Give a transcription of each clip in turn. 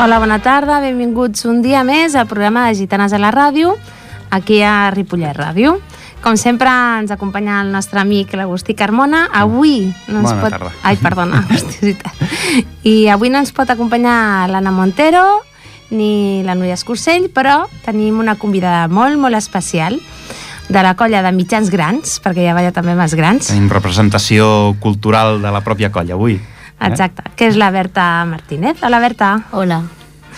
Hola, bona tarda, benvinguts un dia més al programa de Gitanes a la Ràdio, aquí a Ripollet Ràdio. Com sempre ens acompanya el nostre amic l'Agustí Carmona. Avui no ens pot... tarda. Ai, perdona, I avui no ens pot acompanyar l'Anna Montero ni la Núria Escursell, però tenim una convidada molt, molt especial de la colla de mitjans grans, perquè ja balla també més grans. Tenim representació cultural de la pròpia colla avui. Exacte, que és la Berta Martínez. Hola, Berta. Hola.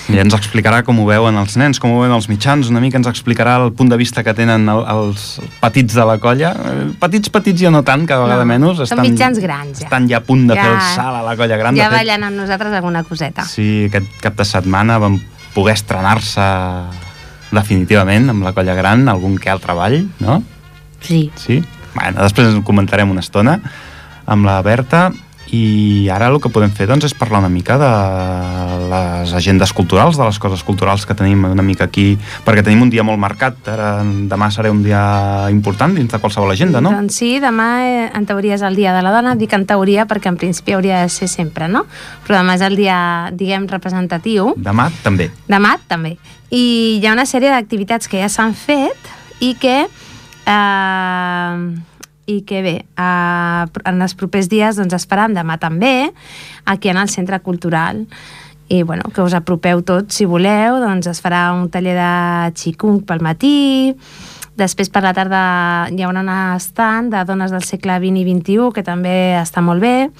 I ens explicarà com ho veuen els nens, com ho veuen els mitjans, una mica ens explicarà el punt de vista que tenen els petits de la colla. Petits ja no tant, cada vegada menys. Són mitjans grans, ja. Estan ja a punt de fer el salt a la colla gran. Ja ballen amb nosaltres alguna coseta. Sí, aquest cap de setmana vam poder estrenar-se definitivament amb la colla gran, algun que altre ball, no? Sí. Sí? Bueno, després en comentarem una estona amb la Berta. I ara el que podem fer doncs, és parlar una mica de les agendes culturals, de les coses culturals que tenim una mica aquí, perquè tenim un dia molt marcat. Ara, demà serà un dia important dins de qualsevol agenda, no? Doncs sí, demà en teoria és el dia de la dona. Dic en teoria perquè en principi hauria de ser sempre, no? Però demà és el dia, diguem, representatiu. Demà també. Demà també. I hi ha una sèrie d'activitats que ja s'han fet i que bé, en els propers dies doncs, es faran demà també aquí en el Centre Cultural. I bueno, que us apropeu tots si voleu, doncs es farà un taller de Qigong pel matí, després per la tarda hi haurà un stand de dones del segle XX i XXI que també està molt bé,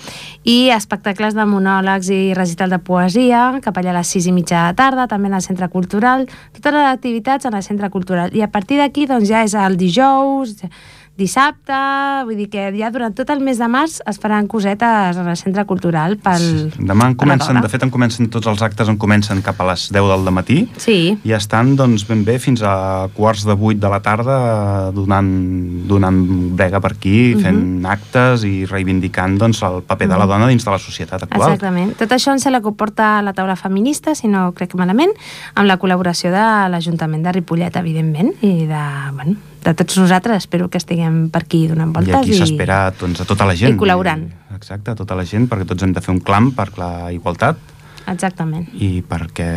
i espectacles de monòlegs i recital de poesia cap allà a les 6:30 de la tarda, també en el Centre Cultural, totes les activitats en el Centre Cultural. I a partir d'aquí doncs, ja és el dijous, dissabte, vull dir que ja durant tot el mes de març es faran cosetes en el Centre Cultural pel... Demà comencen, de fet en comencen tots els actes, comencen cap a les 10 del matí. Sí. I estan doncs ben bé fins a 7:45 de la tarda donant brega per aquí, fent actes i reivindicant doncs, el paper de la dona dins de la societat actual. Exactament. Tot això en se la comporta la taula feminista, si no crec malament, amb la col·laboració de l'Ajuntament de Ripollet, evidentment, i de tots nosaltres. Espero que estiguem per aquí donant voltes. I aquí s'espera doncs, a tota la gent. I col·laborant. Exacte, a tota la gent, perquè tots hem de fer un clam per la igualtat. Exactament. I perquè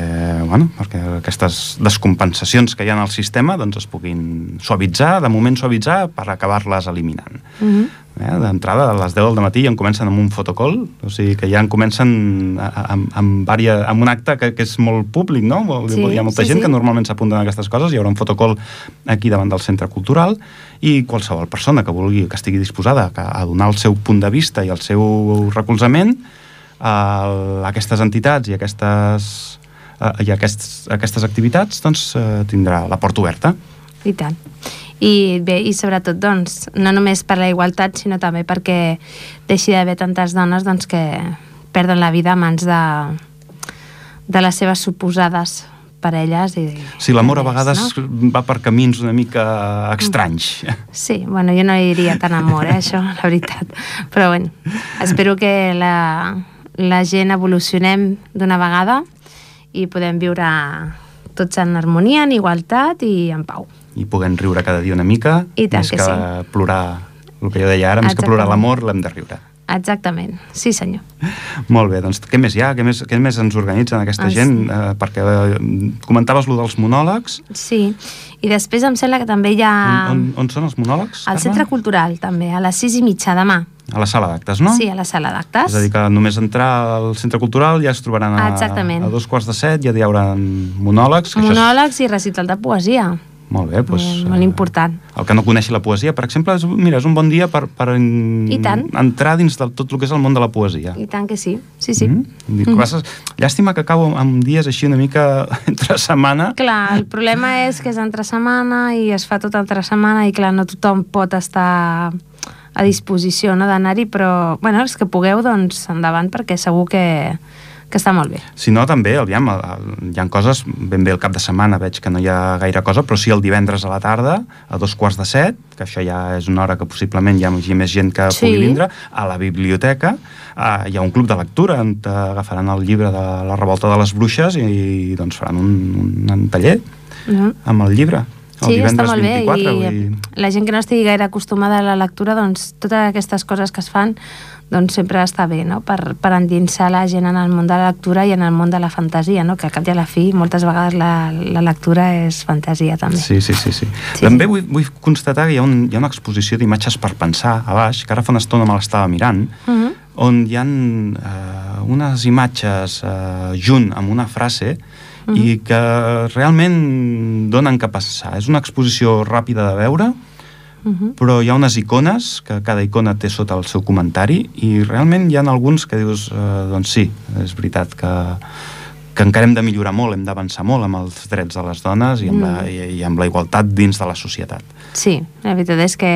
aquestes descompensacions que hi ha en el sistema doncs, es puguin suavitzar, de moment suavitzar, per acabar-les eliminant. D'entrada, a les 10 del matí ja en comencen amb un fotocall, o sigui que ja en comencen amb un acte que és molt públic, no? Hi ha molta gent que normalment s'apunten a aquestes coses, hi haurà un fotocall aquí davant del Centre Cultural, i qualsevol persona que vulgui, que estigui disposada a donar el seu punt de vista i el seu recolzament a aquestes entitats i aquestes activitats, doncs tindrà la porta oberta. I tant. I bé, i sobretot, doncs, no només per la igualtat, sinó també perquè deixi d'haver tantes dones doncs, que perden la vida a mans de les seves suposades parelles. Sí, l'amor a vegades va per camins una mica estranys. Sí, bueno, jo no diria tant amor, això, la veritat. Però bueno, espero que la gent evolucionem d'una vegada i podem viure tots en harmonia, en igualtat i en pau. I puguem riure cada dia una mica, més que plorar, el que jo deia ara, més que plorar l'amor, l'hem de riure. Exactament, sí senyor. Molt bé, doncs què més hi ha? Què més ens organitzen aquesta gent? Perquè comentaves lo dels monòlegs. Sí, i després em sembla que també hi ha... On són els monòlegs? Al Centre Cultural, també, a les 6:30 demà. A la sala d'actes, no? Sí, a la sala d'actes. És a dir, que només entrar al Centre Cultural ja es trobaran a 7:15, ja hi haurà monòlegs. Monòlegs i recital de poesia. Molt bé, doncs... Molt important. El que no coneixi la poesia, per exemple, és un bon dia per entrar dins de tot el que és el món de la poesia. I tant que sí, sí, sí. Llàstima que acabo amb dies així una mica entre setmana. Clar, el problema és que és entre setmana i es fa tot entre setmana i clar, no tothom pot estar a disposició d'anar-hi, però bueno, els que pugueu, doncs endavant, perquè segur que està molt bé. Si no, també, aviam, hi ha coses, ben bé el cap de setmana veig que no hi ha gaire cosa, però sí el divendres a la tarda, a 6:45, que això ja és una hora que possiblement hi hagi més gent que pugui vindre, a la biblioteca hi ha un club de lectura on agafaran el llibre de la Revolta de les Bruixes i doncs faran un taller amb el llibre. Sí, està molt bé, i la gent que no estigui gaire acostumada a la lectura, doncs totes aquestes coses que es fan doncs sempre està bé, no? Per endinsar la gent en el món de la lectura i en el món de la fantasia, no? Que al cap i a la fi moltes vegades la lectura és fantasia també. Sí. També vull constatar que hi ha una exposició d'imatges per pensar a baix, que ara fa una estona me l'estava mirant, on hi ha unes imatges junt amb una frase i que realment donen que pensar. És una exposició ràpida de veure, però hi ha unes icones, que cada icona té sota el seu comentari, i realment hi ha alguns que dius, doncs sí, és veritat que encara hem de millorar molt, hem d'avançar molt amb els drets de les dones i amb la igualtat dins de la societat. Sí, la veritat és que,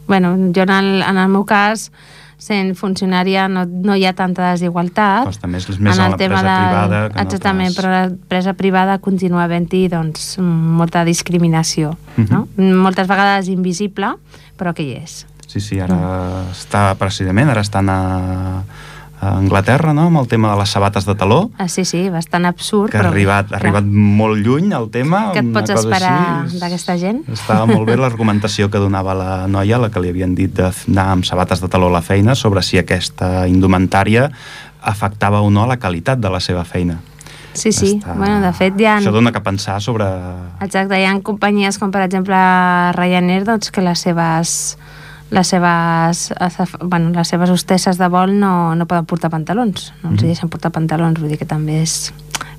bueno, jo en el meu cas, sent funcionària no hi ha tanta desigualtat. Costa més en l'empresa privada. Exactament, però l'empresa privada continua havent-hi doncs, molta discriminació. No? Moltes vegades invisible, però que hi és. Sí, ara estan a Anglaterra, no?, amb el tema de les sabates de taló. Sí, bastant absurd. Que ha arribat molt lluny el tema. Què et pots esperar d'aquesta gent? Estava molt bé l'argumentació que donava la noia, la que li havien dit d'anar amb sabates de taló a la feina, sobre si aquesta indumentària afectava o no la qualitat de la seva feina. Sí. Bueno, de fet, això dona que pensar sobre... Exacte, hi ha companyies com, per exemple, Ryanair, doncs, que les seves hostesses de vol no poden portar pantalons, no els deixen portar pantalons, vull dir que també és...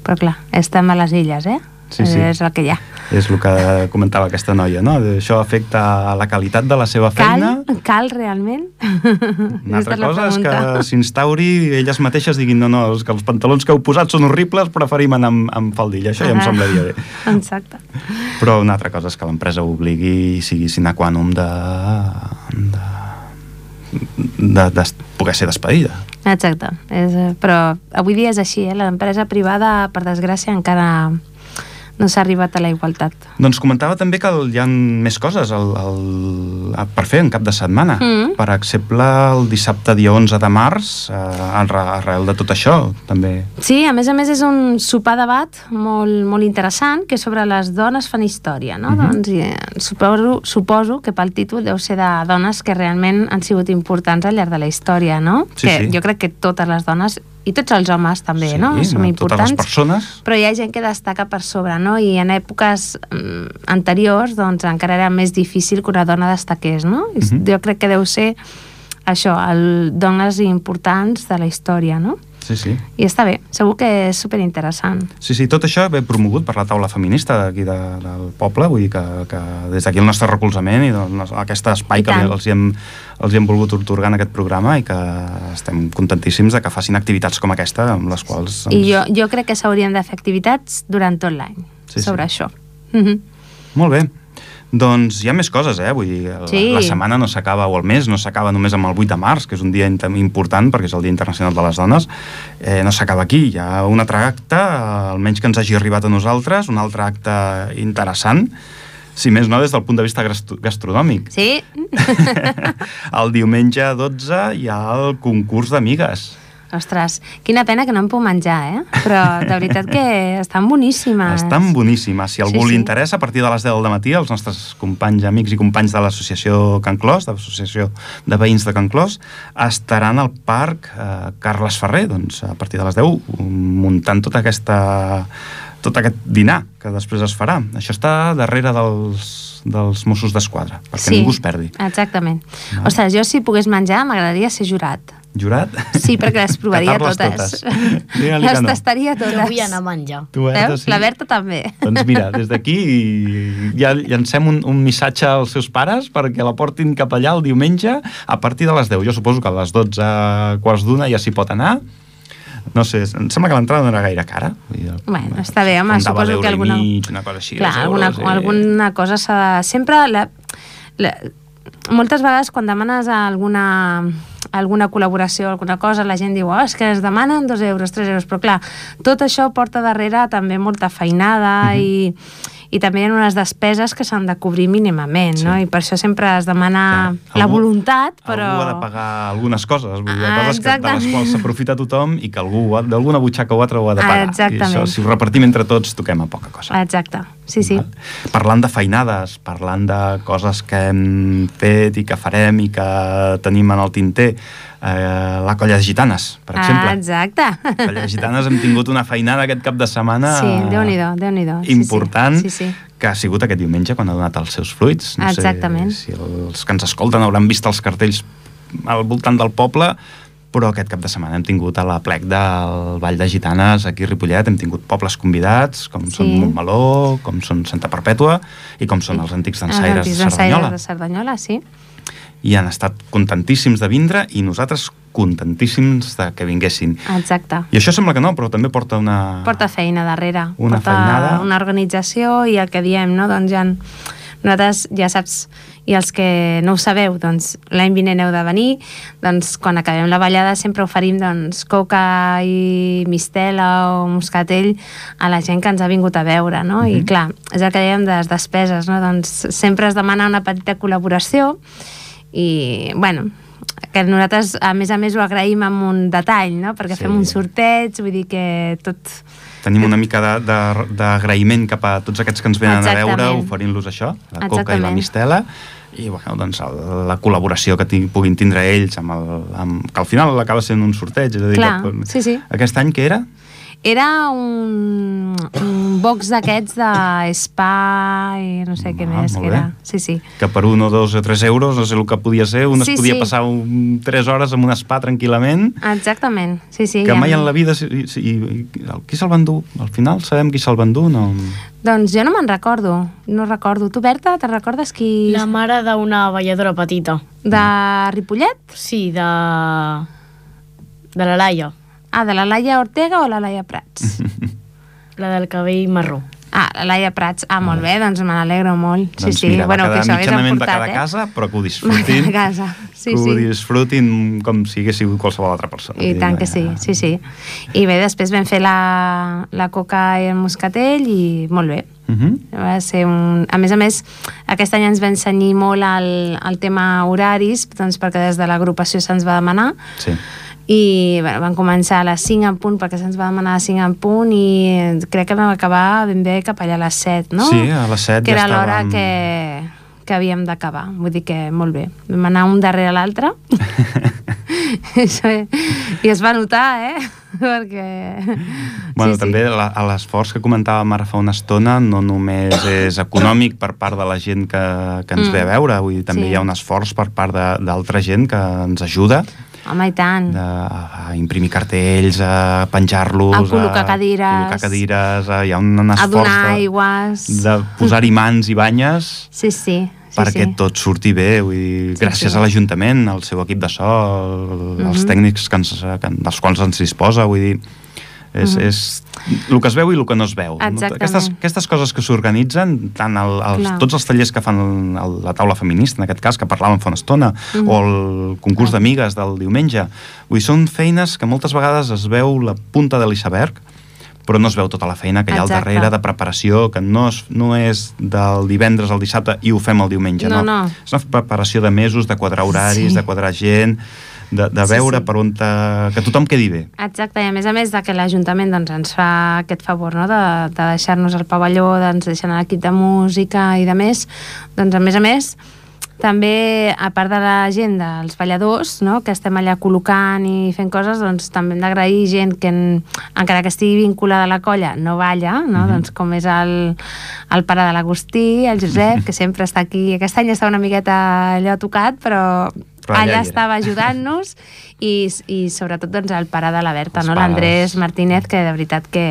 Però clar, estem a les illes, Sí. És el que hi ha. És el que comentava aquesta noia, no? Això afecta a la qualitat de la seva feina. Cal realment? Una altra cosa és que s'instauri i elles mateixes diguin no, és que els pantalons que heu posat són horribles, preferim anar amb faldilla. Això ja em semblaria bé. Exacte. Però una altra cosa és que l'empresa obligui i sigui sine qua non de poder ser despedida. Exacte. Però avui dia és així, l'empresa privada, per desgràcia, encara no s'ha arribat a la igualtat. Doncs comentava també que hi ha més coses per fer en cap de setmana. Per exemple, el dissabte dia 11 de març, arrel de tot això, també. Sí, a més és un sopar debat molt interessant, que és sobre les dones fan història, no? Doncs suposo que pel títol deu ser de dones que realment han sigut importants al llarg de la història, no? Sí. Jo crec que totes les dones i tots els homes també, no? Som importants. Totes les persones. Però hi ha gent que destaca per sobre, no? I en èpoques anteriors, doncs, encara era més difícil que una dona destaqués, no? Jo crec que deu ser això, dones importants de la història, no? Sí. I està bé, segur que és superinteressant. Sí, tot això ve promogut per la taula feminista d'aquí del poble, vull dir que des d'aquí el nostre recolzament i aquest espai que els hi hem volgut otorgar en aquest programa i que estem contentíssims de que facin activitats com aquesta amb les quals... I jo crec que s'haurien de fer activitats durant tot l'any sobre això. Molt bé. Doncs hi ha més coses, vull dir, la setmana no s'acaba, o el mes no s'acaba només amb el 8 de març, que és un dia important perquè és el Dia Internacional de les Dones, no s'acaba aquí, hi ha un altre acte, almenys que ens hagi arribat a nosaltres, un altre acte interessant, si més no des del punt de vista gastronòmic. Sí. El diumenge 12 hi ha el concurs d'amigues. Ostres, quina pena que no em puc menjar, però de veritat que estan boníssimes. Estan boníssimes. Si algú li interessa, a partir de les 10 del matí, els nostres companys, amics i companys de l'associació Can Clos, de l'associació de veïns de Can Clos, estaran al parc Carles Ferrer, doncs a partir de les 10, muntant tot aquest dinar que després es farà. Això està darrere dels Mossos d'Esquadra, perquè ningú es perdi. Exactament. Ostres, jo si pogués menjar m'agradaria ser jurat. Jurat? Sí, perquè les provaria totes. Les tastaria totes. Jo vull anar a menjar. Veus? La Berta també. Doncs mira, des d'aquí ja llancem un missatge als seus pares perquè la portin cap allà el diumenge a partir de les 10. Jo suposo que a les 12, quarts d'una ja s'hi pot anar. No sé, em sembla que l'entrada no era gaire cara. Bueno, està bé, home, suposo que alguna... una cosa així. Clar, alguna cosa s'ha de... Sempre... Moltes vegades quan demanes alguna col·laboració o alguna cosa, la gent diu, és que es demanen 2 euros, 3 euros, però clar, tot això porta darrere també molta feinada i també hi ha unes despeses que s'han de cobrir mínimament, no? I per això sempre es demana la voluntat, però... Algú ha de pagar algunes coses, vull dir, coses de les quals s'aprofita tothom i que algú d'alguna butxaca o altra ho ha de pagar. Exactament. I això, si ho repartim entre tots, toquem a poca cosa. Exacte, sí. Parlant de feinades, parlant de coses que hem fet i que farem i que tenim en el tinter, la Colla de Gitanes, per exemple. Exacte. La Colla de Gitanes hem tingut una feinada aquest cap de setmana Déu-n'hi-do. important, sí. que ha sigut aquest diumenge quan ha donat els seus fruits. No Exactament. sé si els que ens escolten hauran vist els cartells al voltant del poble, però aquest cap de setmana hem tingut a l'aplec del Vall de Gitanes aquí a Ripollet, hem tingut pobles convidats, com són Montmeló, com són Santa Perpètua i com són els antics dansaires de Cerdanyola. De Cerdanyola, sí. I han estat contentíssims de vindre i nosaltres contentíssims de que vinguessin. Exacte. I això sembla que no, però també porta una... Porta feina darrere. Una feinada. Una organització i el que diem, no? Doncs nosaltres, ja saps, i els que no ho sabeu, doncs l'any vinent heu de venir, doncs quan acabem la ballada sempre oferim doncs coca i mistela o moscatell a la gent que ens ha vingut a veure, no? I clar, és el que dèiem de les despeses, no? Doncs sempre es demana una petita col·laboració i, bueno, que nosaltres a més ho agraïm amb un detall, no? Perquè fem un sorteig, vull dir que tot... Tenim una mica d'agraïment cap a tots aquests que ens venen a veure, oferint-los això, la coca i la mistela, i bueno, doncs, la col·laboració que puguin tindre ells, que al final acaba sent un sorteig. És a dir, clar, sí. Aquest any què era? Era un box d'aquests de spa i no sé què més que era. Sí. Que per 1 o 2 o 3 euros, no sé el que podia ser, un es podia passar 3 hores en un spa tranquil·lament. Exactament, sí. Que mai en la vida... Qui se'l va endur? Al final sabem qui se'l va endur? No... Doncs jo no me'n recordo, no recordo. Tu, Berta, te'n recordes qui... La mare d'una balladora petita. De Ripollet? Sí, de la Laia. Ah, de la Laia Ortega o la Laia Prats? La del cabell marró. Ah, la Laia Prats. Ah, molt bé, doncs me n'alegro molt. Doncs mira, va quedar mitjanament de cada casa, però que ho disfrutin. Que ho disfrutin com si hagués sigut qualsevol altra persona. I tant que sí. I bé, després vam fer la coca i el moscatell i molt bé. Va ser a més, aquest any ens va ensenyar molt el tema horaris, doncs perquè des de l'agrupació se'ns va demanar. Sí. I bueno, vam començar a les 5 en punt perquè se'ns va demanar a les 5 en punt i crec que vam acabar ben bé cap allà a les 7, no? Sí, a les 7 que ja era l'hora que havíem d'acabar, vull dir que molt bé, vam anar un darrere l'altre i es va notar, perquè... Bueno, també l'esforç que comentàvem ara fa una estona no només és econòmic per part de la gent que ens ve a veure, vull dir, també hi ha un esforç per part d'altra gent que ens ajuda. Home, i tant. A imprimir cartells, a penjar-los, a col·locar cadires, hi ha un esforç a donar aigües, de posar-hi mans i banyes perquè tot surti bé, vull dir, gràcies a l'Ajuntament, al seu equip de so, als tècnics dels quals ens disposa, vull dir, és el que es veu i el que no es veu. Aquestes coses que s'organitzen, tant tots els tallers que fan la taula feminista, en aquest cas, que parlàvem fa una estona, o el concurs d'amigues del diumenge, vull dir, són feines que moltes vegades es veu la punta de l'iceberg, però no es veu tota la feina que hi ha al darrere de preparació, que no és del divendres al dissabte i ho fem el diumenge, no. És una preparació de mesos, de quadrar horaris, de quadrar gent, de veure per on que tothom quedi bé. Exacte, i a més de que l'Ajuntament doncs, ens fa aquest favor, no? de deixar-nos el pavelló, ens deixen l'equip de música i de més, doncs a més també, a part de la gent dels balladors, no? Que estem allà col·locant i fent coses, doncs també hem d'agrair gent que, encara que estigui vinculada a la colla, no balla, no? Doncs com és el pare de l'Agustí, el Josep, que sempre està aquí. Aquest any està una miqueta allò tocat, però allà estava ajudant-nos i sobretot doncs, el pare de la Berta, no? L'Andrés Martínez, que de veritat que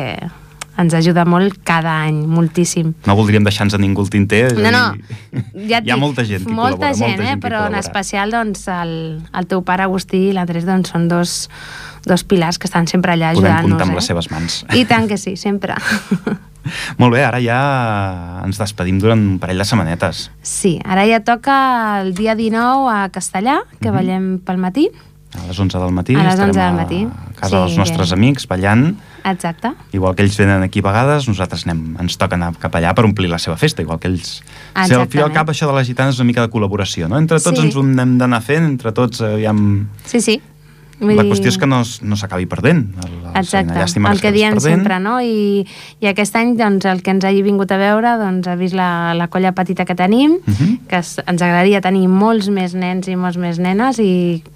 ens ajuda molt cada any, moltíssim. No voldríem deixar-nos a ningú el tinter. No, ja hi ha molta gent que col·labora. Molta gent, però en especial doncs, el teu pare Agustí i l'Andrés doncs, són dos pilars que estan sempre allà ajudant-nos. Podem comptar amb les seves mans. I tant que sí, sempre. Molt bé, ara ja ens despedim durant un parell de setmanetes. Sí, ara ja toca el dia 19 a Castellà, que ballem pel matí. A les 11 del matí. A les 11 del matí. A casa dels nostres amics, ballant. Exacte. Igual que ells venen aquí a vegades, nosaltres ens toca anar cap allà per omplir la seva festa, igual que ells. Al fi al cap, això de les gitanes és una mica de col·laboració, no? Entre tots ens ho hem d'anar fent, entre tots Sí. La qüestió és que no s'acabi perdent. Exacte, el que diem sempre, no? I aquest any, doncs, el que ens hagi vingut a veure, doncs, ha vist la colla petita que tenim, que ens agradaria tenir molts més nens i molts més nenes.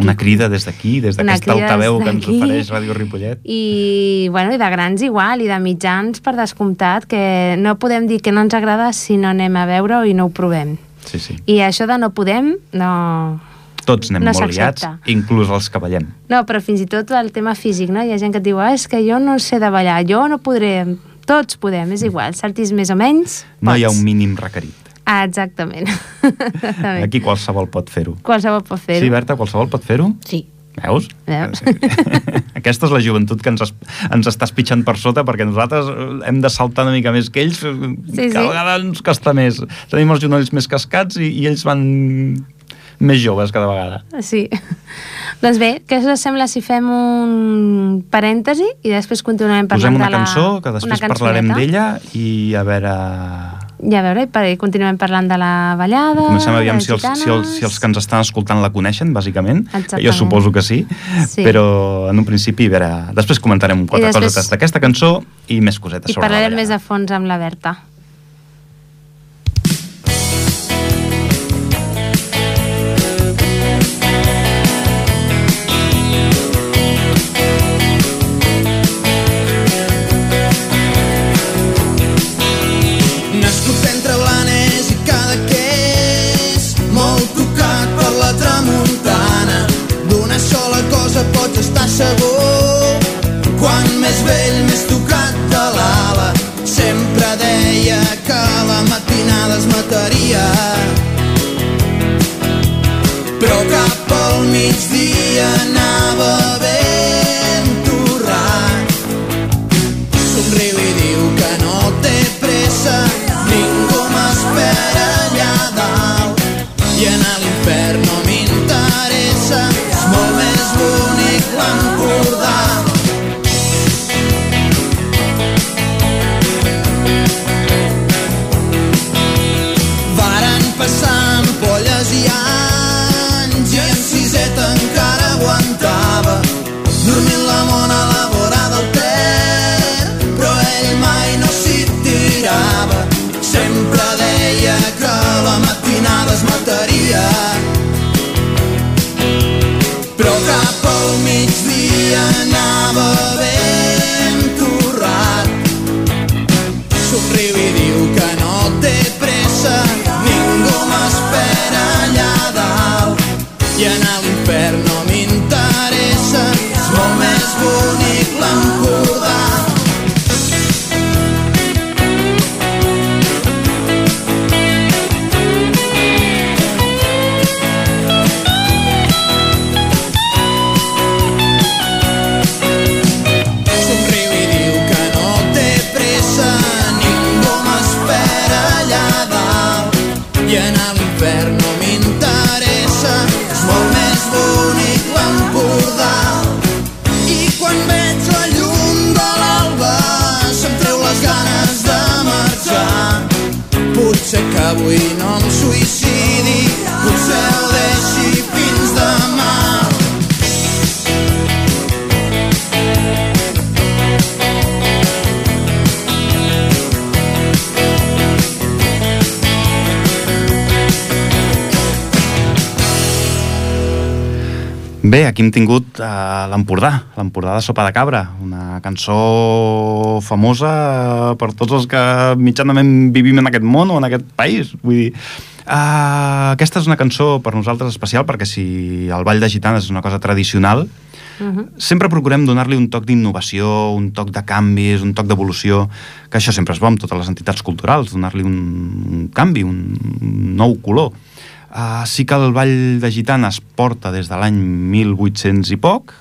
Una crida des d'aquí, des d'aquesta altaveu que ens ofereix Ràdio Ripollet. I de grans igual, i de mitjans, per descomptat, que no podem dir que no ens agrada si no anem a veure-ho i no ho provem. Sí. I això de no podem, no... Tots anem molt liats, inclús els que ballem. No, però fins i tot el tema físic, no? Hi ha gent que et diu, és que jo no sé de ballar, jo no podré... Tots podem, és igual, saltis més o menys, pots. No hi ha un mínim requerit. Exactament. Aquí qualsevol pot fer-ho. Qualsevol pot fer-ho. Sí, Berta, qualsevol pot fer-ho? Sí. Veus? Aquesta és la joventut que ens està espitxant per sota, perquè nosaltres hem de saltar una mica més que ells, cada vegada ens costa més. Tenim els genolls més cascats i ells van més joves cada vegada. Sí. Doncs bé, què us sembla si fem un parèntesi i després continuem parlant de la... Posem una cançó, que després parlarem d'ella i a veure... I continuem parlant de la ballada. Comencem a veure si els que ens estan escoltant la coneixen, bàsicament. Exactament. Jo suposo que sí, però en un principi, a veure, després comentarem quatre cosetes d'aquesta cançó i més cosetes sobre la ballada. I parlarem més a fons amb la Berta. Pots estar segur, quan més vell, més tocat de l'ala. Sempre deia que la matinada es mataria, però cap al migdia anava ben torrat. Somriu i diu que no té pressa, ningú m'espera allà dalt, i anar a l'infern no m'interessa, és molt més bonic l'Empordà. Varen passar ampolles i anys, i en siseta encara aguantava, dormint la mona a la vora del Ter, però ell mai no s'hi tirava. Sempre deia que la matinada es mataria, però cap al migdia anava ben torrat. Somriu i diu que no té pressa, ningú m'espera allà dalt, i anar a l'infern no m'interessa, és molt més bonic l'Empordà. I anar a l'infern no m'interessa, és molt més bonic l'Empordà. I quan veig la llum de l'alba se'm treu les ganes de marxar. Potser que avui no em suïcidi, potser ho deixi fins demà. Bé, aquí hem tingut l'Empordà de Sopa de Cabra, una cançó famosa per tots els que mitjanament vivim en aquest món o en aquest país. Vull dir, aquesta és una cançó per nosaltres especial, perquè si el ball de gitanes és una cosa tradicional, sempre procurem donar-li un toc d'innovació, un toc de canvis, un toc d'evolució, que això sempre és bo amb totes les entitats culturals, donar-li un canvi, un nou color. Sí que el ball de gitanes porta des de l'any 1800 i poc,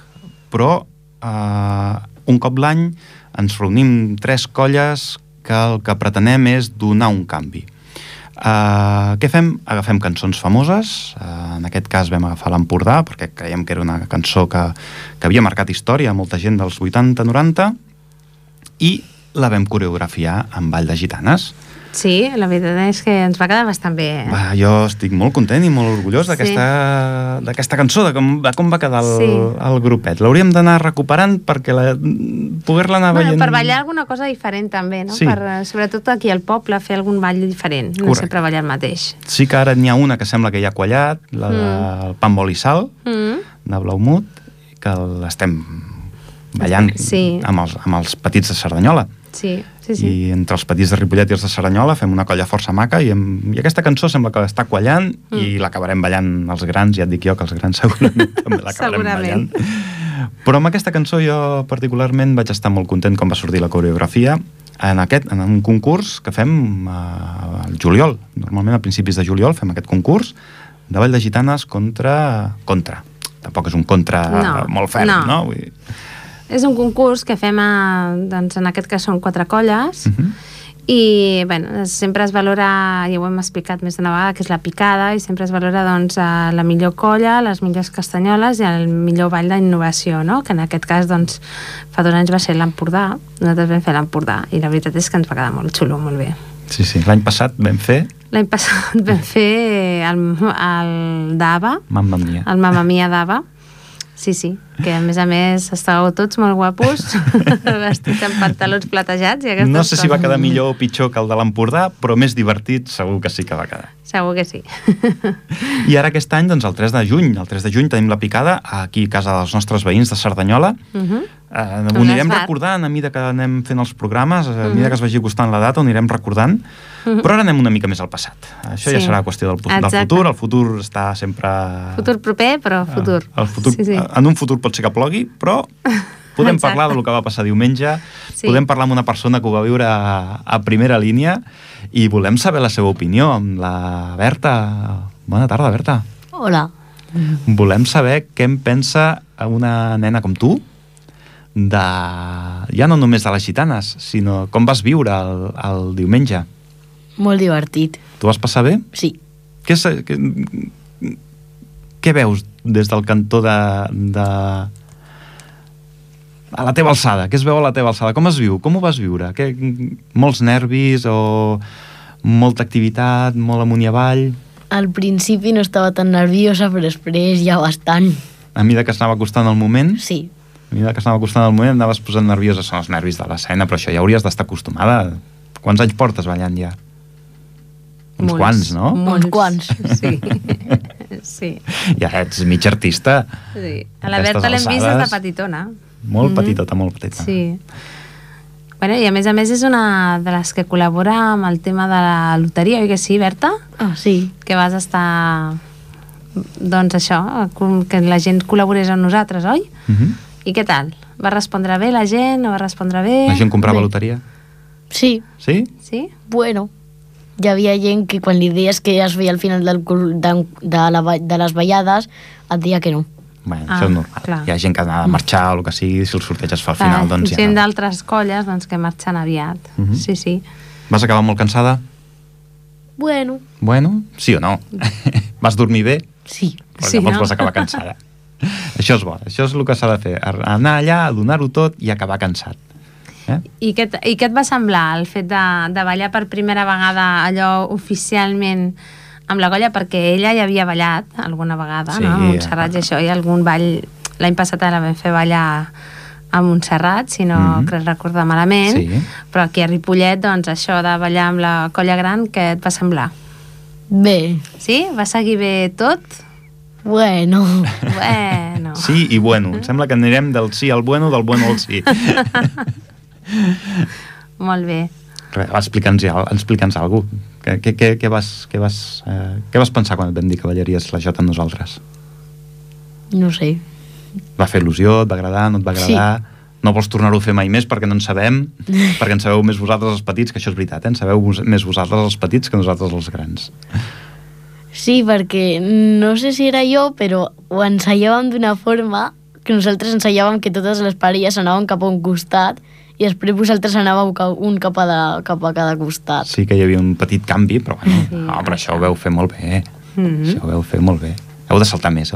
però un cop l'any ens reunim 3 colles que el que pretenem és donar un canvi. Què fem? Agafem cançons famoses, en aquest cas vam agafar l'Empordà perquè creiem que era una cançó que havia marcat història a molta gent dels 80-90 i la vam coreografiar amb ball de gitanes. Sí, la veritat és que ens va quedar bastant bé. Va, jo estic molt content i molt orgullós d'aquesta cançó, de com va quedar el grupet. L'hauríem d'anar recuperant perquè poder-la anar veient... Per ballar alguna cosa diferent també, no? Sí. Sobretot aquí al poble, fer algun ball diferent, no sempre ballar el mateix. Sí que ara n'hi ha una que sembla que ja ha quallat, la del pa amb oli i sal, de Blaumut, que l'estem ballant amb els petits de Cerdanyola. Sí. I entre els petits de Ripollet i els de Cerdanyola fem una colla força maca i aquesta cançó sembla que està quallant i l'acabarem ballant els grans, ja et dic jo que els grans segurament també l'acabarem ballant. Però amb aquesta cançó jo particularment vaig estar molt content com va sortir la coreografia en un concurs que fem al juliol. Normalment a principis de juliol fem aquest concurs de ball de gitanes contra. Tampoc és un contra molt ferm, no? Vull dir... És un concurs que fem, doncs, en aquest cas són 4 colles, i bueno, sempre es valora, ja ho hem explicat més d'una vegada, que és la picada, i sempre es valora doncs, la millor colla, les millors castanyoles i el millor ball d'innovació, no? Que en aquest cas doncs, fa 2 anys va ser l'Empordà, nosaltres vam fer l'Empordà, i la veritat és que ens va quedar molt xulo, molt bé. Sí, l'any passat vam fer... L'any passat vam fer el d'Ava, el Mamma Mia d'Ava. Sí, que a més estàveu tots molt guapos, vestits amb pantalons platejats i aquestes coses. No sé si va quedar millor o pitjor que el de l'Empordà, però més divertit segur que sí que va quedar. Segur que sí. I ara aquest any, doncs, el 3 de juny tenim la picada aquí a casa dels nostres veïns de Cerdanyola. Ho anirem recordant a mesura que anem fent els programes, a mesura que es vagi costant la data, ho anirem recordant, però ara anem una mica més al passat. Això ja serà qüestió del futur. El futur està sempre... Futur proper, però futur. En un futur pot ser que plogui, però podem parlar del que va passar diumenge, podem parlar amb una persona que ho va viure a primera línia i volem saber la seva opinió amb la Berta. Bona tarda, Berta. Hola. Volem saber què en pensa una nena com tu ja no només de les gitanes, sinó com vas viure el diumenge. Molt divertit. Tu vas passar bé? Sí. Què veus des del cantó a la teva alçada? Què es veu a la teva alçada? Com es viu? Com ho vas viure? Molts nervis o molta activitat, molt amunt i avall? Al principi no estava tan nerviosa, però després ja bastant. A mesura que s'anava costant el moment? Sí. A mesura que s'anava costant el moment anaves posant nerviosa. Són els nervis de l'escena, però això ja hauries d'estar acostumada. Quants anys portes ballant ja? Uns quants, no? Uns quants. Sí. Ja ets mig artista. Sí. A la Berta l'hem vist des de petitona. Molt petitota, molt petita. Sí. Bueno, i a més és una de les que col·labora amb el tema de la loteria, oi que sí, Berta? Sí. Que vas estar... Doncs això, que la gent col·laborés amb nosaltres, oi? I què tal? Va respondre bé la gent? No va respondre bé? La gent comprava loteria? Sí. Sí? Sí? Bueno, hi havia gent que quan li deies que es veia al final de les ballades et deia que no. Bueno, això és normal. Clar. Hi ha gent que ha de marxar o el que sigui, si el sorteig es fa al final, doncs ja no. Gent d'altres colles que marxen aviat. Sí. Vas acabar molt cansada? Bueno, sí o no? Vas dormir bé? Sí. Però llavors vas acabar cansada. Això és bo, això és el que s'ha de fer, anar allà, donar-ho tot i acabar cansat. I què et va semblar el fet de ballar per primera vegada allò oficialment amb la colla, perquè ella ja havia ballat alguna vegada, no? A Montserrat i això, i algun ball l'any passat la vam fer ballar a Montserrat, si no crec recordar malament, però aquí a Ripollet, doncs això de ballar amb la colla gran, què et va semblar? Bé. Sí? Va seguir bé tot? Bueno. Sí i bueno. Em sembla que anirem del sí al bueno, del bueno al sí. Molt bé. Explica'ns alguna cosa. Què vas pensar quan et vam dir que ballaries la Jota amb nosaltres? No sé. Va fer il·lusió? Et va agradar? No et va agradar? Sí. No vols tornar-ho a fer mai més perquè no en sabem? Perquè en sabeu més vosaltres els petits, que això és veritat, en sabeu més vosaltres els petits que nosaltres els grans. Sí, perquè no sé si era jo, però ho ensaiàvem d'una forma que nosaltres ensaiàvem que totes les parelles anaven cap a un costat i després vosaltres anàveu un cap a cada costat. Sí que hi havia un petit canvi, però bueno, però això ho veu fer molt bé. Això ho veu fer molt bé. Heu de saltar més.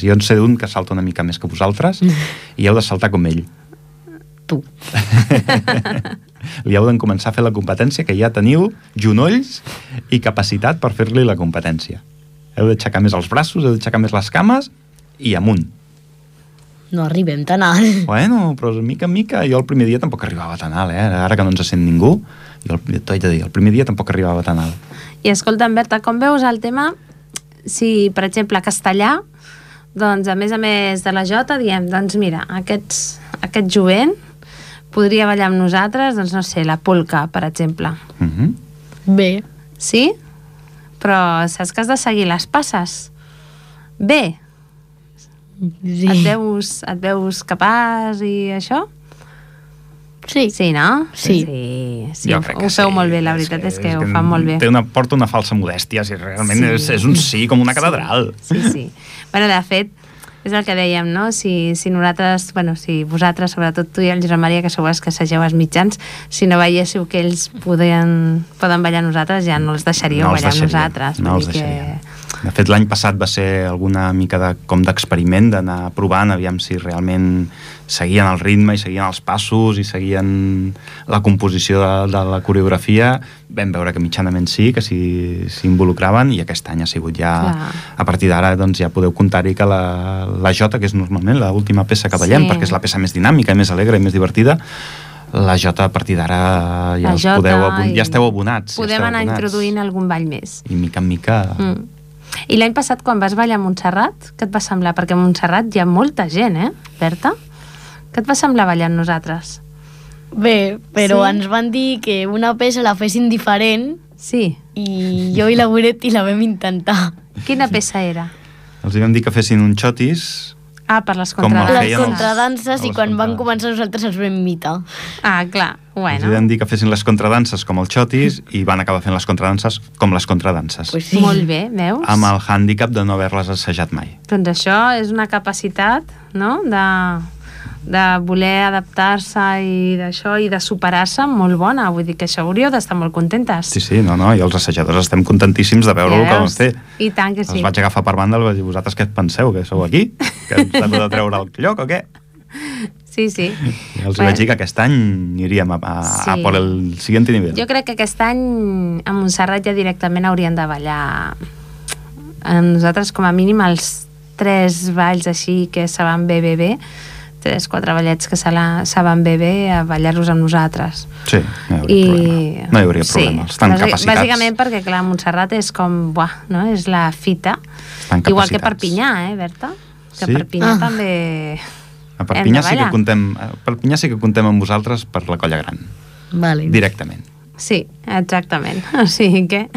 Jo en sé d'un que salta una mica més que vosaltres i heu de saltar com ell. Tu. li heu de començar a fer la competència, que ja teniu genolls i capacitat per fer-li la competència. Heu d'aixecar més els braços, heu d'aixecar més les cames i amunt. No arribem tan alt. Bueno, però mica en mica, jo el primer dia tampoc arribava tan alt, Ara que no ens sent ningú, jo t'ho haig de dir, el primer dia tampoc arribava tan alt. I escolta, Berta, com veus el tema si, per exemple, castellà, doncs a més de la jota diem, doncs mira, aquest jovent podria ballar amb nosaltres, doncs no sé, la polca, per exemple. Bé. Sí? Però saps que has de seguir les passes? Bé. Sí. Et veus capaç i això? Sí. Sí, no? Sí. Sí, Jo crec que ho feu sí. molt bé, la veritat és que ho fan molt bé. Porta una falsa modèstia, si realment Sí. és un sí com una catedral. Sí. Bueno, de fet, és el que dèiem, no? Si nosaltres, si vosaltres, sobretot tu i el Josep Maria, que sou els que assageu els mitjans, si no veiéssiu que ells poden ballar amb nosaltres, ja no els deixaríeu ballar amb nosaltres. No els deixaríem. De fet, l'any passat va ser alguna mica d'experiment, d'anar provant, aviam si realment seguien el ritme i seguien els passos i seguien la composició de la coreografia. Vam veure que mitjanament sí, que s'hi involucraven, i aquest any ha sigut ja... Clar. A partir d'ara doncs, ja podeu comptar-hi que la jota, que és normalment l'última peça que ballem, perquè és la peça més dinàmica, més alegre i més divertida, la jota a partir d'ara ja esteu abonats. Podem anar introduint algun ball més. I mica en mica... I l'any passat, quan vas ballar a Montserrat, què et va semblar? Perquè a Montserrat hi ha molta gent, Berta? Què et va semblar ballar amb nosaltres? Bé, però Sí? ens van dir que una peça la fessin diferent Sí. i jo i la Goretti la vam intentar. Quina peça era? Els vam dir que fessin un xotis. Ah, per les Com el contradanses. Les feien els- contradanses, i les quan van contradanses. començar nosaltres els vam imitar. Ah, clar, Els vam dir que fessin les contradanses com el xotis i van acabar fent les contradanses com les contradanses. Pues sí. Molt bé, veus? Amb el hàndicap de no haver-les assajat mai. Doncs això és una capacitat, no?, de voler adaptar-se i d'això, i de superar-se molt bona. Vull dir que això hauríeu d'estar molt contentes. Sí, no, i els assajadors estem contentíssims de veure el que vam fer. I tant que sí. Els vaig agafar per banda i vaig dir, vosaltres què et penseu, que sou aquí? Que ens heu de treure el lloc o què? Sí. I els vaig dir que aquest any aniríem a por el siguiente nivel. Jo crec que aquest any a Montserrat ja directament haurien de ballar nosaltres com a mínim els 3 balls així que saben bé, 3-4 ballets que saben bé a ballar-los amb nosaltres. Sí, no hi hauria problema. Estan capacitats. Bàsicament perquè, clar, Montserrat és com, no? És la fita. Estan Igual que capacitats. Perpinyà, Berta? Que Sí? Perpinyà també... A Perpinyà hem de ballar. sí que contem amb vosaltres per la colla gran. Vale. Directament. Sí, exactament. O sigui que...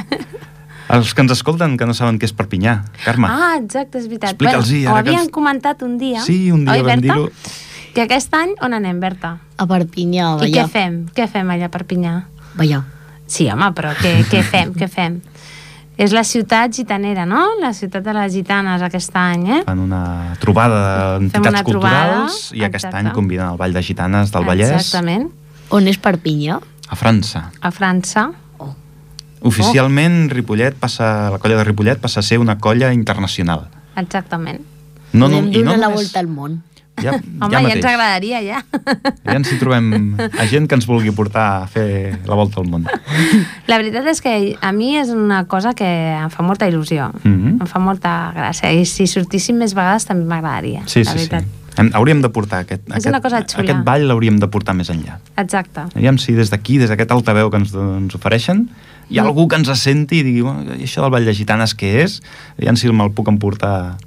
Els que ens escolten que no saben què és Perpinyà, Carme. Ah, exacte, és veritat. Explica'ls-hi, Ho ara que havien els- comentat un dia. Sí, un dia oi, vam Berta? dir-ho. Que aquest any on anem, Berta? A Perpinyà, a I ballar. què fem? Què fem allà a Perpinyà? Ballar. Sí, home, però què fem? Què fem? És la ciutat gitanera, no? La ciutat de les gitanes aquest any, Fan una trobada d'entitats una trobada, culturals i aquest exacte. any conviden el Ball de Gitanes del Vallès Exactament. On és Perpinyà? a França. A França. Oficialment, la colla de Ripollet passa a ser una colla internacional. Exactament. Podem donar la només- volta al món. Ja Home, ja ens agradaria, ja. Ja ens hi trobem a gent que ens vulgui portar a fer la volta al món. La veritat és que a mi és una cosa que em fa molta il·lusió. Mhm. Em fa molta gràcia. I si sortíssim més vegades també m'agradaria, Sí, la sí, sí. veritat. Hauríem de portar una cosa xula. aquest ball l'hauríem de portar més enllà. Exacte. Aviam si des d'aquí, des d'aquest altaveu que ens ofereixen, hi ha algú que ens senti i digui, bueno, i això del ball de gitanes què és? Aviam si me'l puc emportar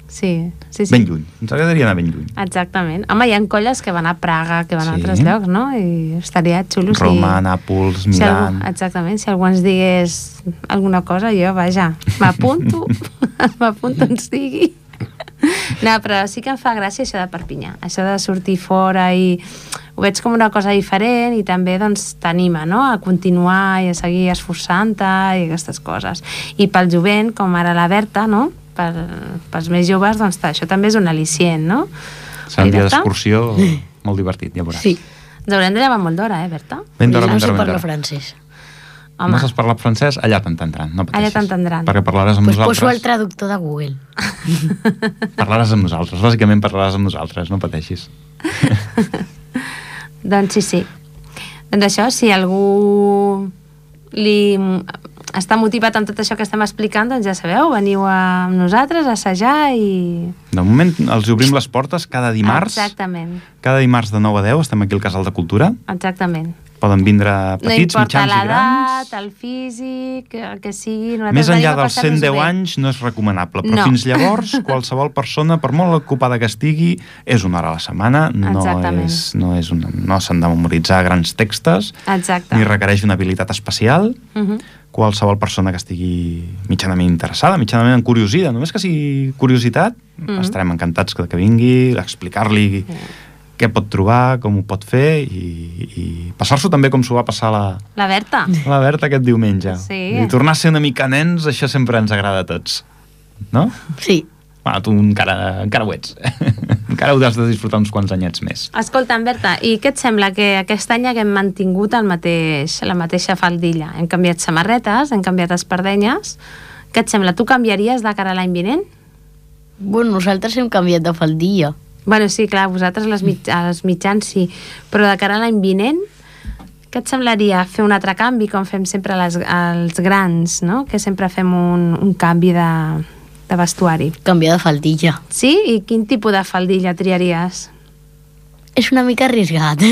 Sí. ben lluny. Ens agradaria anar ben lluny. Exactament. Home, hi ha colles que van a Praga, que van a Sí. altres llocs, no? I estaria xulo Roma, Nàpols, si Milà... exactament, si algú ens digués alguna cosa, jo, vaja, m'apunto, m'apunto on sigui. No, però sí que em fa gràcia això de Perpinyà, això de sortir fora i ho veig com una cosa diferent i també doncs t'anima, no?, a continuar i a seguir esforçant-te i aquestes coses. I pel jovent, com ara la Berta, no?, pels més joves, doncs això també és un al·licient, no? Serà un Oi, dia Berta? d'excursió molt divertit, ja veuràs. Sí. Ens haurem de llevar molt d'hora, Berta? Ben d'hora, no ben sé d'hora, ben parlar d'hora. francès. Home, No saps parlar francès? Allà t'entendran, no pateixis. Allà t'entendran. Perquè parlaràs amb Pues poso el nosaltres. traductor de Google. Parlaràs amb nosaltres, bàsicament parlaràs amb nosaltres, no pateixis. doncs sí. Doncs això, si algú li està motivat amb tot això que estem explicant, doncs ja sabeu, veniu amb nosaltres a assajar i... De moment els obrim les portes cada dimarts. Exactament. Cada dimarts de 9 a 10 estem aquí al Casal de Cultura. Exactament. Poden vindre petits, no importa mitjans i grans. l'edat, el físic, el que sigui. Més enllà dels 110 anys no és recomanable, però fins llavors qualsevol persona, per molt ocupada que estigui, és una hora a la setmana, no s'han de memoritzar grans textos, ni requereix una habilitat especial. Qualsevol persona que estigui mitjanament interessada, mitjanament encuriosida, només que sigui curiositat, estarem encantats que vingui, explicar-li què pot trobar, com ho pot fer i passar-s'ho també com s'ho va passar la Berta. La Berta aquest diumenge. Sí. I tornar a ser una mica nens, això sempre ens agrada a tots. No? Sí. Bueno, tu encara ho ets. Encara ho has de disfrutar uns quants anyets més. Escolta, Berta, i què et sembla que aquest any haguem mantingut la mateixa faldilla? Hem canviat samarretes, hem canviat espardenyes. Què et sembla? Tu canviaries de cara a l'any vinent? Bueno, nosaltres hem canviat de faldilla. Bueno, sí, clar, vosaltres als mitjans sí, però de cara a l'any vinent, què et semblaria fer un altre canvi, com fem sempre als grans, no? Que sempre fem un canvi de vestuari. Canviar de faldilla. Sí? I quin tipus de faldilla triaries? És una mica arriesgat.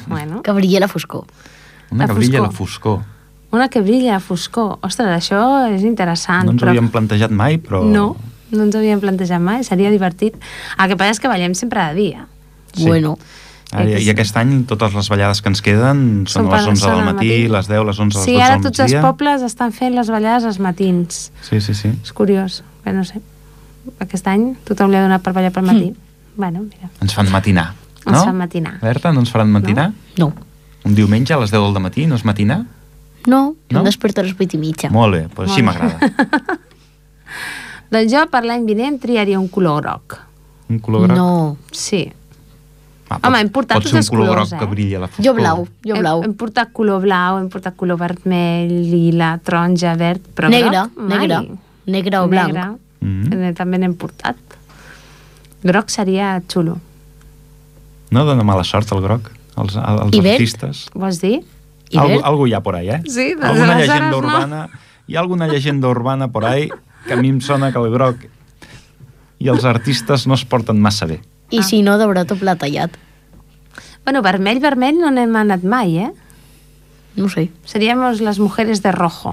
Bueno. Que brilli a la foscor. Una que brilla a la foscor. Una que brilla a la foscor. Ostres, això és interessant. No ens ho havíem plantejat mai, però... No ens ho havíem plantejat mai, seria divertit. El que passa és que ballem sempre de dia. Sí. Bueno. I aquest any totes les ballades que ens queden són a les 11 del matí, les 10, les 11, les 12 del migdia. Sí, ara tots els pobles estan fent les ballades als matins. Sí. És curiós, però no sé. Aquest any tothom li ha donat per ballar pel matí. Bueno, mira. Ens fan matinar, no? Ens fan matinar. Berta, no ens faran matinar? No. Un diumenge a les 10 del matí no és matinar? No, em desperto a les 8:30. Molt bé, doncs així m'agrada. Doncs jo per l'any vinent triaria un color groc. Un color groc? No. Sí. Home, hem portat tots els colors, pot ser un color groc que brilla a la foscor. Jo blau. Hem portat color blau, hem portat color vermell, lila, taronja, verd, però groc mai. Negre o blanc. També n'hem portat. Groc seria xulo. No dona mala sort el groc, als artistes. Vols dir? Algo hi ha por ahí, eh? Sí, alguna llegenda urbana. Hi ha alguna llegenda urbana por ahí que a mi em sona que el groc i els artistes no es porten massa bé. I si no, de tot pla tallat. Bueno, vermell no n'hem anat mai, eh? No sé. Seríamos las mujeres de rojo,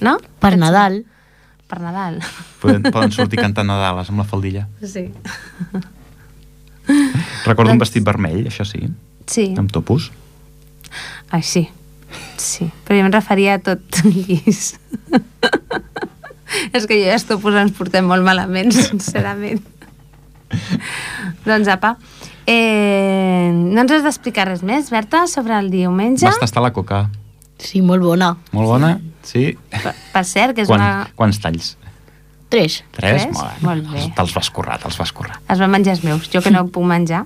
no? Per Nadal. Per Nadal. Poden sortir cantant Nadales amb la faldilla. Sí. Recordo un vestit vermell, això sí. Sí. Amb topos. Ai, sí. Sí, però jo em referia a tot llis. És que jo i els topos ens portem molt malament, sincerament. Doncs, apa, no ens has d'explicar res més, Berta, sobre el diumenge? Vas tastar la coca. Sí, molt bona. Molt bona, sí. Per cert, que és Quants talls? 3. 3? Molt bé. Te'ls vas currar. Els van menjar els meus, jo que no puc menjar.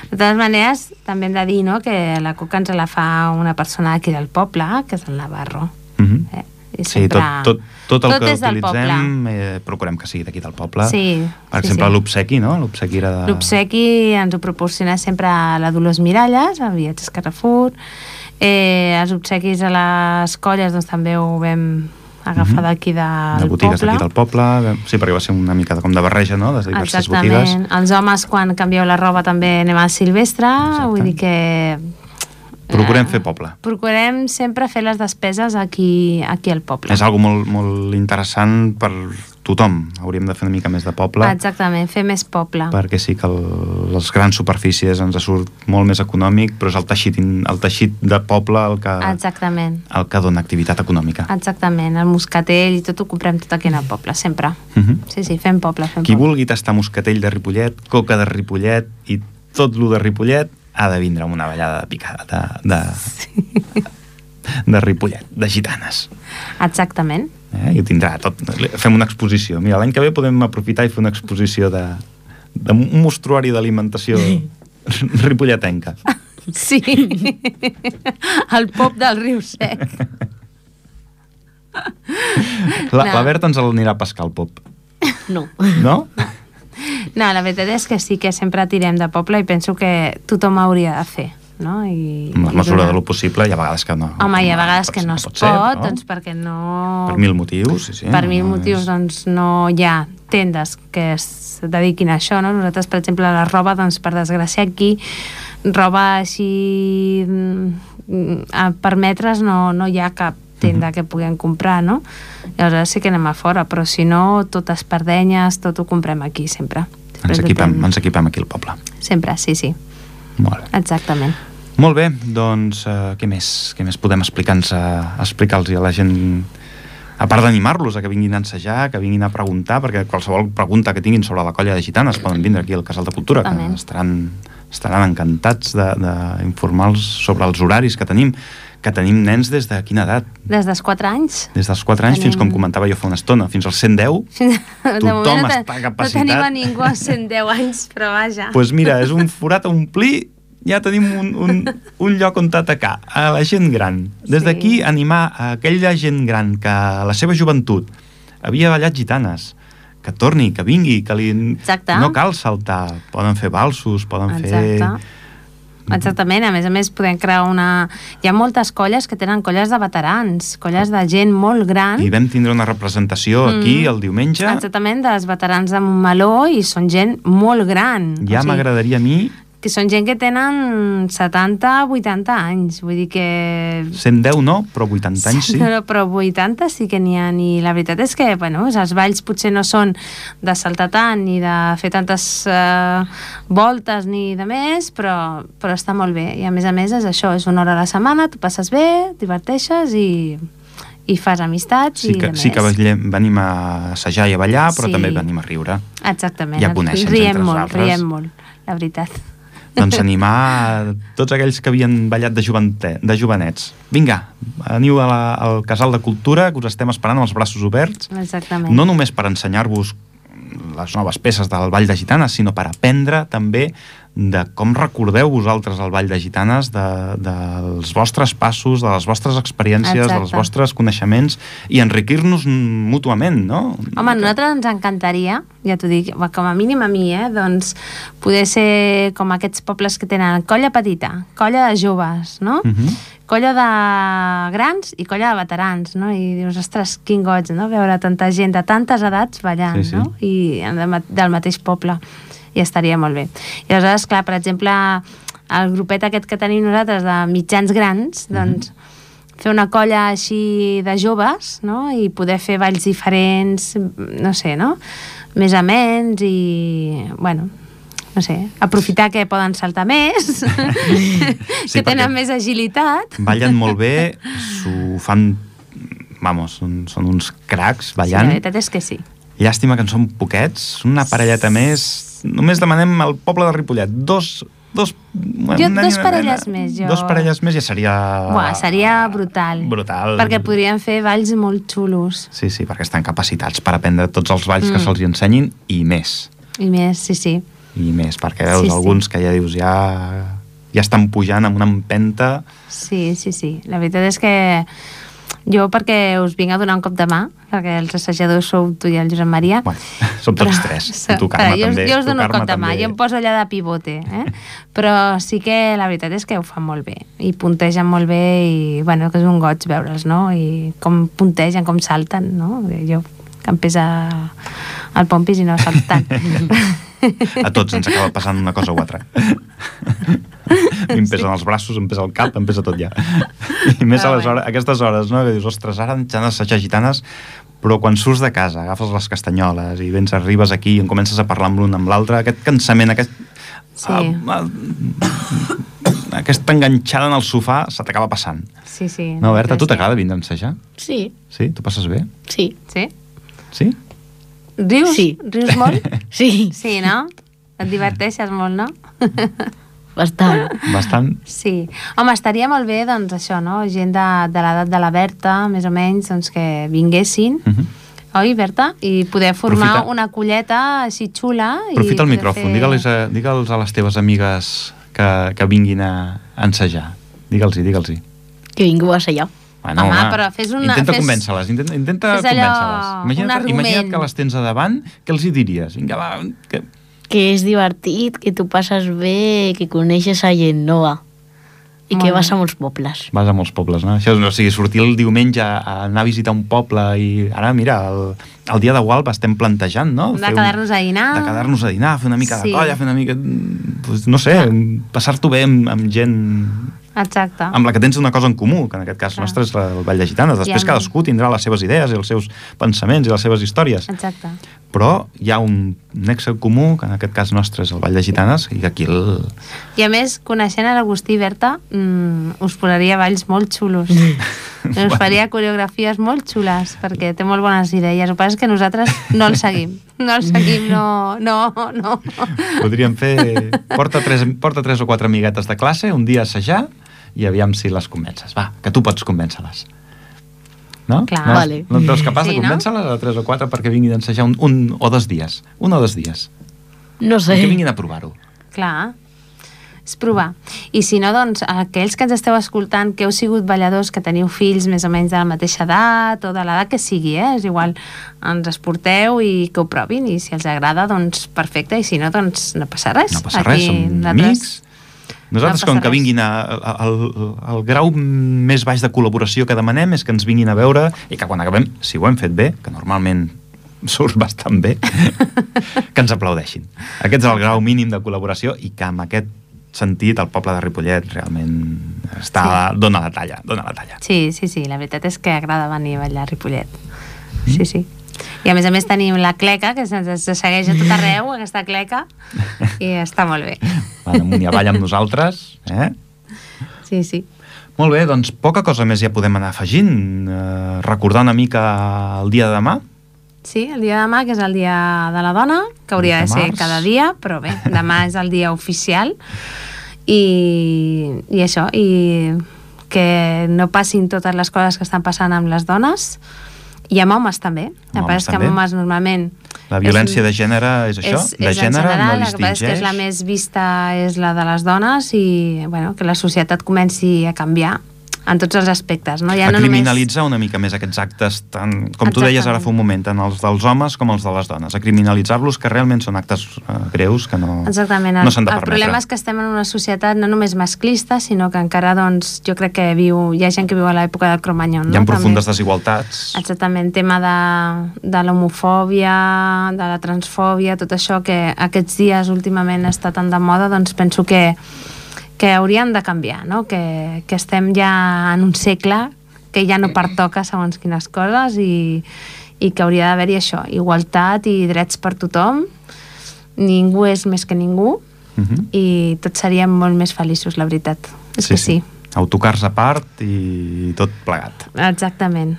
De totes maneres, també hem de dir, no?, que la coca ens la fa una persona aquí del poble, que és el Navarro. Sí, tot el que utilitzem procurem que sigui d'aquí del poble. Sí, per exemple, l'obsequi, no? L'obsequi era de... L'obsequi ens ho proporciona sempre la Dolors Miralles, a Viatges Carrefour. Els obsequis a les colles doncs, també ho vam agafar d'aquí del poble. De botigues d'aquí del poble. Sí, perquè va ser una mica com de barreja, no?, de diverses botigues. Exactament. Els homes, quan canvieu la roba, també anem al Silvestre. Vull dir que... Procurem fer poble. Procurem sempre fer les despeses aquí al poble. És algo molt, molt interessant per tothom. Hauríem de fer una mica més de poble. Exactament, fer més poble. Perquè sí que les grans superfícies ens surt molt més econòmic, però és el teixit de poble el que dona activitat econòmica. Exactament, el moscatell i tot ho comprem tot aquí al poble, sempre. Sí, fem poble. Qui vulgui tastar moscatell de Ripollet, coca de Ripollet i tot lo de Ripollet, ha de vindre amb una ballada de picada de Ripollet, de gitanes. Exactament. I ho tindrà tot. Fem una exposició. Mira, l'any que ve podem aprofitar i fer una exposició d'un mostruari d'alimentació ripolletenca. Sí. El pop del riu sec. La Berta ens l'anirà a pescar, el pop. No. No? No, la veritat és que sí que sempre tirem de poble i penso que tothom hauria de fer, no? Amb la mesura de lo possible, hi ha vegades que no. Home, hi ha vegades que no es pot, doncs perquè no... Per 1000 motius, sí. Per 1000 motius, doncs no hi ha tendes que es dediquin a això, no? Nosaltres, per exemple, la roba, doncs per desgràcia aquí, roba així per metres no hi ha cap tenda que puguem comprar, no? Llavors sí que anem a fora, però si no, tot espardenyes, tot ho comprem aquí, sempre. Ens equipem aquí al poble. Sempre, sí. Molt bé. Exactament. Molt bé, doncs què més podem explicar-los a la gent, a part d'animar-los a que vinguin a ensejar, que vinguin a preguntar, perquè qualsevol pregunta que tinguin sobre la colla de gitanes poden vindre aquí al Casal de Cultura, que estaran encantats d'informar-los sobre els horaris que tenim nens des de quina edat? Des dels 4 anys. Des dels 4 anys fins, com comentava jo fa una estona, fins als 110. Tothom està capacitat. No tenim a ningú als 110 anys, però vaja. Doncs mira, és un forat a omplir, ja tenim un lloc on atacar, a la gent gran. Des d'aquí animar a aquella gent gran que a la seva joventut havia ballat gitanes, que torni, que vingui, que no cal saltar, poden fer valsos, poden fer... Exactament, a més podem crear hi ha moltes colles que tenen colles de veterans, colles de gent molt gran. I vam tindre una representació aquí el diumenge. Exactament, dels veterans de Montmeló, i són gent molt gran. Ja m'agradaria a mi... Que són gent que tenen 70, 80 anys, vull dir que... 110 no, però 80 anys sí. Però 80 sí que n'hi ha, i la veritat és que, bueno, els balls potser no són de saltar tant, ni de fer tantes voltes, ni de més, però està molt bé, i a més és això, és una hora a la setmana, tu passes bé, diverteixes i fas amistats i de més. Sí que venim a assajar i a ballar, però també venim a riure. Exactament, i a conèixer entre nosaltres. Riem molt, la veritat. Doncs animar tots aquells que havien ballat de jovenets. Vinga, aniu al Casal de Cultura, que us estem esperant amb els braços oberts. Exactament. No només per ensenyar-vos les noves peces del Ball de Gitanes, sinó per aprendre també de com recordeu vosaltres el Ball de Gitanes, dels vostres passos, de les vostres experiències, dels vostres coneixements, i enriquir-nos mútuament, no? Home, a nosaltres ens encantaria, ja t'ho dic, com a mínim a mi, doncs poder ser com aquests pobles que tenen colla petita, colla de joves, no? Colla de grans i colla de veterans, no? I dius, ostres, quin goig, no? Veure tanta gent de tantes edats ballant, no? I del mateix poble. I estaria molt bé. I aleshores, clar, per exemple, el grupet aquest que tenim nosaltres de mitjans grans, doncs fer una colla així de joves, no? I poder fer balls diferents, no sé, no? Més amens i, bueno, no sé, aprofitar que poden saltar més, que tenen més agilitat. Ballen molt bé, s'ho fan, vamos, són uns cracs ballant. Sí, la veritat és que sí. Llàstima que en són poquets, una parelleta més. Només demanem al poble de Ripollet dos parelles més, jo. 2 parelles més ja seria... Seria brutal. Brutal. Perquè podrien fer balls molt xulos. Sí, perquè estan capacitats per aprendre tots els balls que se'ls ensenyin i més. I més, sí. I més, perquè veus alguns que ja dius ja estan pujant amb una empenta. Sí. La veritat és que jo, perquè us vinc a donar un cop de mà, perquè els assajadors sou tu i el Josep Maria. Bueno, som tots 3. I tu, Carme, també. Jo us dono un cop de mà, jo em poso allà de pivote. Però sí que la veritat és que ho fan molt bé. I puntegen molt bé i, bueno, que és un goig veure'ls, no? I com puntegen, com salten, no? Jo, que em pesa el pompis i no salto tant. A tots ens acaba passant una cosa o altra. Em pesen els braços, em pesa el cap, em pesa tot ja. I més a aquestes hores, no? Que dius, ostres, ara ens han d'assajar gitanes, però quan surts de casa, agafes les castanyoles i arribes aquí i comences a parlar amb l'un amb l'altre, aquest cansament, aquesta enganxada en el sofà se t'acaba passant. Sí. No, Berta, tu t'agrada vindre a ensejar? Sí. Sí? Tu passes bé? Sí. Sí? Rius? Sí. Rius molt? Sí. Sí, no? Et diverteixes molt, no? Bastant. Sí. Home, estaria molt bé, doncs, això, no? Gent de l'edat de la Berta, més o menys, doncs, que vinguessin, oi, Berta? I poder formar una colleta així xula. Aprofita el micròfon, digue'ls a les teves amigues que vinguin a ensejar. Digue'ls-hi. Que vingueu a assajar. Bueno, home, però fes intenta convèncer-les. Imagina't que les tens a davant, què els hi diries? Vinga, va... Que és divertit, que tu passes bé, que coneixes a gent nova. I que vas a molts pobles. Vas a molts pobles, no? Això, o sigui, sortir el diumenge a anar a visitar un poble i ara, mira, el dia de Gualba estem plantejant, no? De quedar-nos a dinar. De quedar-nos a dinar, fer una mica Sí. de colla, fer una mica... Pues, no sé, passar-t'ho bé amb gent... Exacte. Amb la que tens una cosa en comú, que en aquest cas nostre és el Ball de Gitanes. Després cadascú tindrà les seves idees i els seus pensaments i les seves històries. Exacte. Però hi ha un nexe comú, que en aquest cas nostre és el Ball de Gitanes, i aquí el... I a més, coneixent a l'Agustí i Berta, us posaria balls molt xulos. Us faria coreografies molt xules, perquè té molt bones idees. El que passa és que nosaltres no el seguim. No el seguim, no. Podríem fer... Porta 3 o 4 amiguetes de classe, un dia a assajar, i aviam si les convences. Va, que tu pots convèncer-les. No? Clar. No, Vale. no et veus capaç de Sí, no? convèncer-les a 3 o 4 perquè vinguin a ensejar un o 2 dies? 1 o 2 dies. No sé. I que vinguin a provar-ho. Clar. És provar. I si no, doncs, aquells que ens esteu escoltant, que heu sigut balladors, que teniu fills més o menys de la mateixa edat, o de l'edat que sigui, és igual, ens esporteu i que ho provin, i si els agrada, doncs perfecte, i si no, doncs no passa res. No passa res, som amics. Nosaltres, com que vinguin el grau més baix de col·laboració que demanem és que ens vinguin a veure i que quan acabem, si ho hem fet bé, que normalment surt bastant bé, que ens aplaudeixin. Aquest és el grau mínim de col·laboració i que amb aquest sentit el poble de Ripollet realment dona la talla. Sí, la veritat és que agrada venir a ballar a Ripollet. Sí. I a més tenim la cleca, que se'ns segueix a tot arreu, aquesta cleca, i està molt bé. Van amunt i avall amb nosaltres, eh? Sí. Molt bé, doncs poca cosa més ja podem anar afegint. Recordar una mica el dia de demà. Sí, el dia de demà, que és el dia de la dona, que hauria de ser cada dia, però bé, demà és el dia oficial, i això, i que no passin totes les coses que estan passant amb les dones, i amb homes també. El que passa és que amb homes normalment... La violència de gènere és això? De gènere no distingeix? El que passa és que és la més vista és la de les dones i bueno, que la societat comenci a canviar en tots els aspectes. No? Ja a criminalitzar una mica més aquests actes, tant, com tu deies ara fa un moment, tant els dels homes com els de les dones. A criminalitzar-los, que realment són actes greus que no s'han de permetre. El problema és que estem en una societat no només masclista, sinó que encara, doncs, jo crec que hi ha gent que viu a l'època del Cromanyón. Hi ha profundes desigualtats. Exactament, tema de l'homofòbia, de la transfòbia, tot això que aquests dies últimament està tan de moda, doncs penso que haurien de canviar, no? Que estem ja en un segle que ja no pertoca segons quines coses i que hauria d'haver-hi això, igualtat i drets per tothom, ningú és més que ningú i tots seríem molt més feliços, la veritat. És que sí. Autocars a part i tot plegat. Exactament.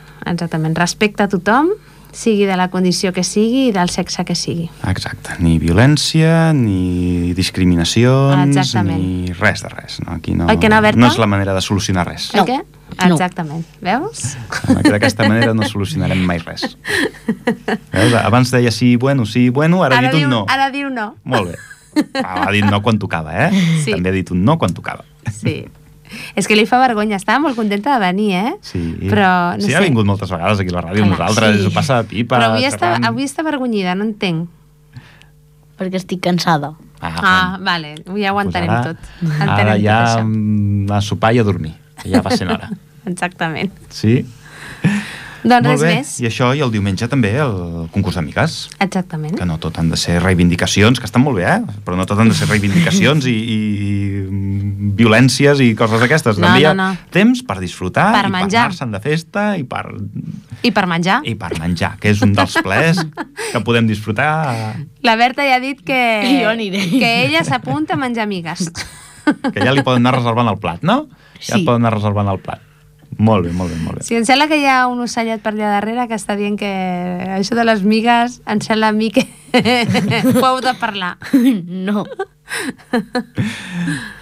Respecte a tothom, sigui de la condició que sigui i del sexe que sigui. Exacte. Ni violència, ni discriminacions, ni res de res. No? Aquí no és la manera de solucionar res. No. Què? Exactament. Veus? D'aquesta manera no solucionarem mai res. Veus? Abans deia sí, bueno, ara ha dit un no. Ara diu no. Molt bé. Ha dit no quan tocava, eh? Sí. També ha dit un no quan tocava. Sí. És que li fa vergonya, estava molt contenta de venir, eh? Sí, però, no sé. Ha vingut moltes vegades aquí a la ràdio amb nosaltres, ho passa de pipa. Però avui està vergonyida, no entenc. Perquè estic cansada. Vale, ja ho entenem tot. Ara ja a sopar i a dormir, que ja va sent hora. Exactament. Sí? Doncs res més. I això, i el diumenge també el concurs d'amigues. Exactament. Que no tot han de ser reivindicacions, que estan molt bé, però no tot han de ser reivindicacions i violències i coses d'aquestes. També hi ha temps per disfrutar i per anar-se'n de festa i per menjar. I per menjar, que és un dels plaers que podem disfrutar. La Berta ja ha dit que ella s'apunta a menjar amigues. Que ja li poden anar reservant el plat, no? Ja et poden anar reservant el plat. Molt bé. Sí, em sembla que hi ha un ocellet per allà darrere que està dient que això de les migues em sembla a mi que ho heu de parlar. No.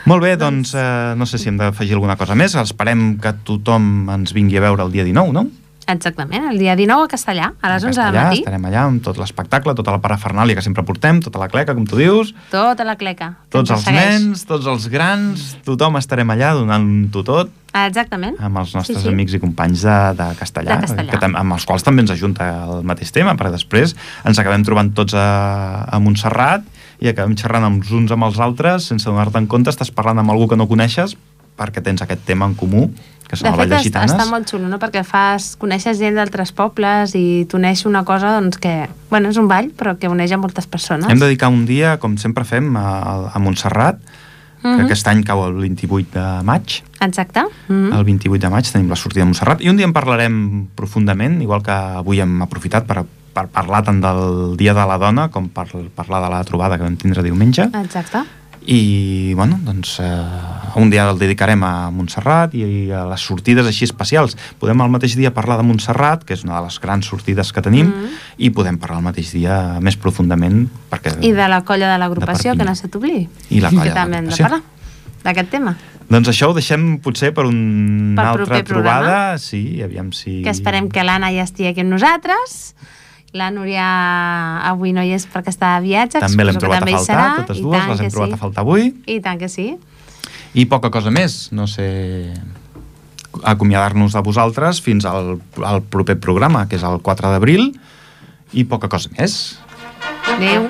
Molt bé, doncs no sé si hem d'afegir alguna cosa més. Esperem que tothom ens vingui a veure el dia 19, no? Exactament, el dia 19 a Castellà, a les 11 del matí. Estarem allà amb tot l'espectacle, tota la parafernàlia que sempre portem, tota la cleca, com tu dius. Tota la cleca. Tots els nens, tots els grans, tothom estarem allà donant-ho tot. Exactament. Amb els nostres amics i companys de Castellà, amb els quals també ens ajunta el mateix tema, perquè després ens acabem trobant tots a Montserrat i acabem xerrant els uns amb els altres, sense donar-te en compte, estàs parlant amb algú que no coneixes, perquè tens aquest tema en comú, que són el Ball de Gitanes. Està molt xulo, no? Perquè coneixes gent d'altres pobles i t'uneix una cosa doncs, que, bueno, és un ball, però que uneix a moltes persones. Hem de dedicar un dia, com sempre fem, a Montserrat, que aquest any cau el 28 de maig. Exacte. El 28 de maig tenim la sortida de Montserrat, i un dia en parlarem profundament, igual que avui hem aprofitat per parlar tant del Dia de la Dona com per parlar de la trobada que vam tindre diumenge. Exacte. I, bueno, doncs un dia el dedicarem a Montserrat i a les sortides així especials. Podem al mateix dia parlar de Montserrat, que és una de les grans sortides que tenim, i podem parlar al mateix dia més profundament perquè... I de la colla de l'agrupació, que no se t'oblidi. I la colla de l'agrupació. Que també hem de parlar d'aquest tema. Doncs això ho deixem potser per una altra trobada. Sí, aviam si... Que esperem que l'Anna ja estigui aquí amb nosaltres. La Núria avui no hi és perquè està de viatge. També l'hem trobat a faltar, totes dues les hem trobat a faltar avui. I tant que sí. I poca cosa més, no sé, acomiadar-nos de vosaltres fins al proper programa, que és el 4 d'abril, i poca cosa més. Adéu.